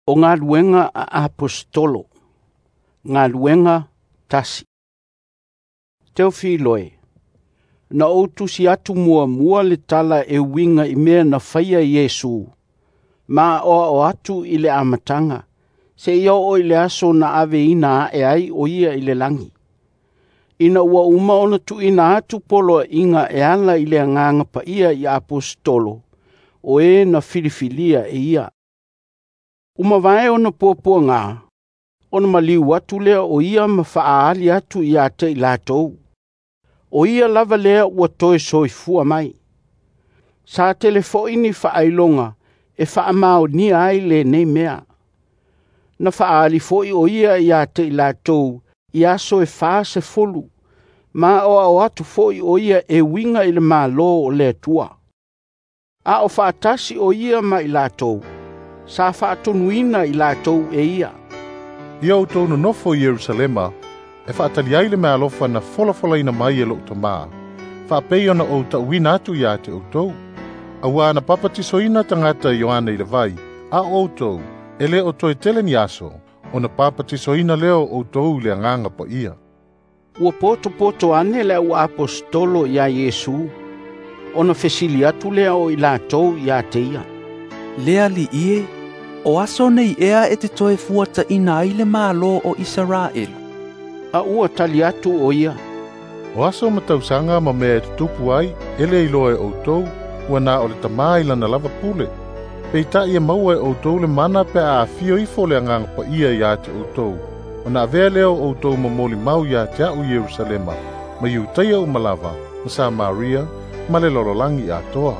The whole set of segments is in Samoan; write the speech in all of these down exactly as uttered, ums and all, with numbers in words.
O galuega a Aposetolo. Galuega tasi. Teofiloe, na ou tusi atu muamua le tala e uiga i mea na faia Iesu, ma aoao atu i le amataga, seia oo i le aso na aveina ae ai o ia i le lagi, ina ua uma ona tuuina atu poloaiga e ala i le Agaga Paia i Aposetolo, o e na filifilia e ia. Ua mavae ona puapuaga, ona maliu atu lea o ia ma faaali atu ia te i latou. O ia lava lea ua toe soifua mai. Sa tele foi ni faailoga e faamaonia ai lenei mea. Na faaali foi o ia ia te i latou i aso e fasefulu, ma aoao atu foi o ia e uiga i le Malo o le Atua. A o faatasi o ia ma i latou, sa faatonuina i latou e ia. Ia outou nonofo i Ierusalema, e faatali ai le meaalofa na folafolaina mai e lou Tamā, faapei ona ou ta'uina atu ia te outou. Auā na papatisoina tagata e Ioane i le vai, a o outou, e lē o toe tele ni aso, ona papatisoina lea o outou i le Agaga Paia. Ua potopoto ane le au aposetolo iā Iesu, ona fesili atu lea o i latou ia te ia. Le Alii e, o aso nei ea e te toe fuataina ai le Malo o Isaraelu? A ua tali atu o ia. O aso ma tausaga ma mea e tutupu ai, e le iloa e outou, ua na o le Tamā i lana lava pule. Peitai e maua e outou le mana pe a afio ifo le Agaga Paia ia te outou, ona avea lea o outou ma molimau ia te a'u i Ierusalema, ma Iutaia uma lava, ma Samaria, ma le lalolagi atoa.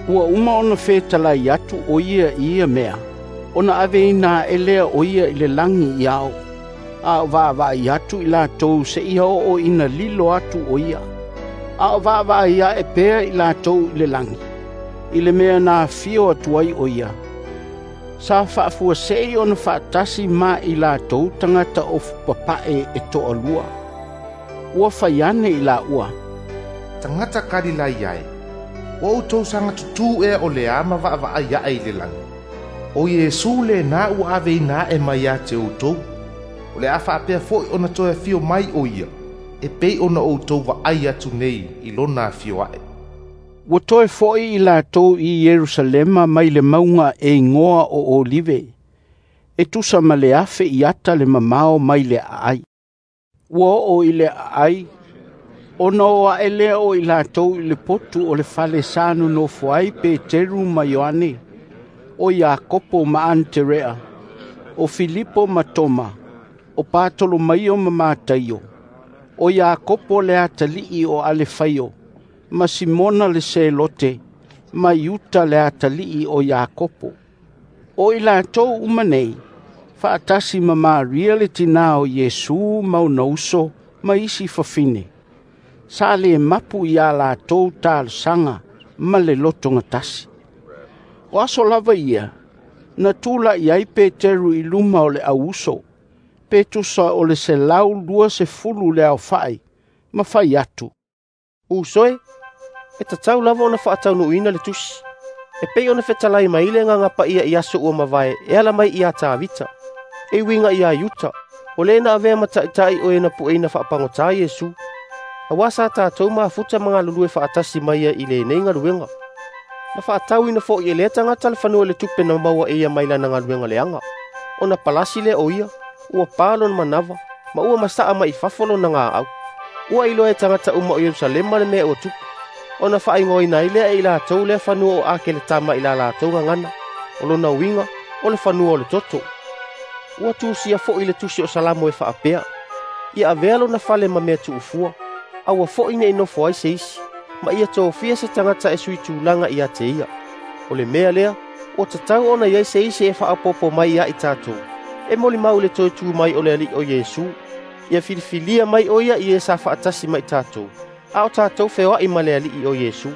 Ua uma ona fetalai atu o ia i ia mea, ona aveina ae lea o ia i le lagi i ao, a o vaavaai atu i latou seia oo ina lilo atu o ia. A o vaavaai ae pea i latou i le lagi, i le mea na afio atu ai o ia. Sa faafuasei ona faatasi ma i latou tagata ofu papae e toalua. Ua fai ane i laua. Tagata Kalilaia e, ua outou saga tutū ea o le a ma vaavaai ae i le lagi. O Iesu lenā ua aveina ae mai ia te outou. O le a faapea foi ona toe afio mai o ia, e pei ona outou vaai atu nei i lona afio ae. Ua toe foi i latou i Ierusalema mai le mauga e igoa o Olive, e tusa ma le afe iata le mamao mai le aai. Ua oo i le aai, ona o ae lea o i latou i le potu o le fale sa nonofo ai Peteru ma Ioane, o Iakopo ma Aneterea, o Filipo ma Toma, o Patolomaio ma Mataio, o Iakopo le atalii o Alefaio, ma Simona le Selote, ma Iuta le atalii o Iakopo. O i latou uma nei, faatasi ma Maria le tinā o Iesu ma ona uso ma isi fafine, sa le mapu ia latou talosaga ma le lotogatasi. O aso lava ia, na tula'i ai Peteru i luma o le auuso, pe tusa o le selau luasefulu le aofa'i, ma fai atu. Uso e, e tatau lava ona faataunuuina le tusi, e pei ona fetalai mai le Agaga Paia i aso ua mavae e ala mai ia Tavita, e uiga ia Iuta, o le na avea ma taʻitaʻi o e na pueina faapagotā Iesu. Auā sa tatou mafuta ma galulue faatasi mai ia i lenei galuega. Na faatauina foi e lea tagata le fanua i le tupe na maua e ia mai lana galuega leaga. Ona palasi lea o ia, ua pa lona manava, ma ua masaa mai i fafo lona gaau. Ua iloa e tagata uma o Ierusalema le mea ua tupu, ona faaigoaina ai lea e i latou lea fanua o Akeletama i la latou gagana, o lona uiga o le fanua o le toto. Ua tusia foi le tusi o Salamo e faapea, ia avea lona fale ma mea tuufua, aua foi nei nofo ai se isi, ma ia tofia se tagata e sui tulaga ia te ia. O le mea lea, ua tatau ona i ai se isi e faaopoopo mai ia i tatou, e molimau i le toe tu mai o le Alii o Iesu, ia filifilia mai o ia i e sa faatasi ma i tatou, a o tatou feoai ma le Alii o Iesu.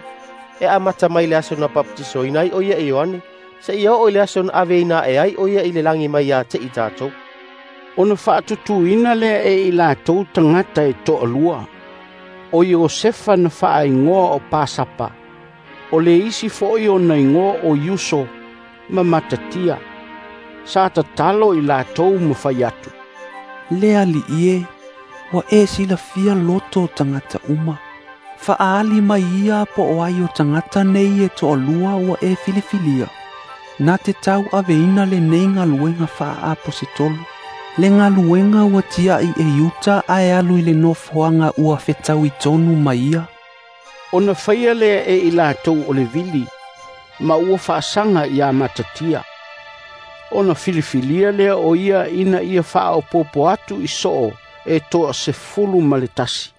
E amata mai le aso na papatisoina ai o ia e Ioane, seia oo i le aso na aveina ae ai o ia i le lagi mai ia te i tatou. Ona faatutuina lea e i latou tagata e toalua, o Iosefa na faaigoa o Pasapa, o le isi foi ona igoa o Iuso ma Matatia, Sa tatalo i latou ma fai atu, Le Alii e, ua e silafia loto o tagata uma. Faaali mai ia po o ai o tagata nei e toalua ua e filifilia. Na te tauaveina lenei galuega faaaposetolo. Le galuega ua tiai e Iuta ae alu i le nofoaga ua fetaui tonu ma ia. Ona faia lea e i latou o le vili, ma ua faasaga ia Matatia. Ona filifilia lea o ia ina ia faaopoopo atu i soo e toasefulu ma le tasi.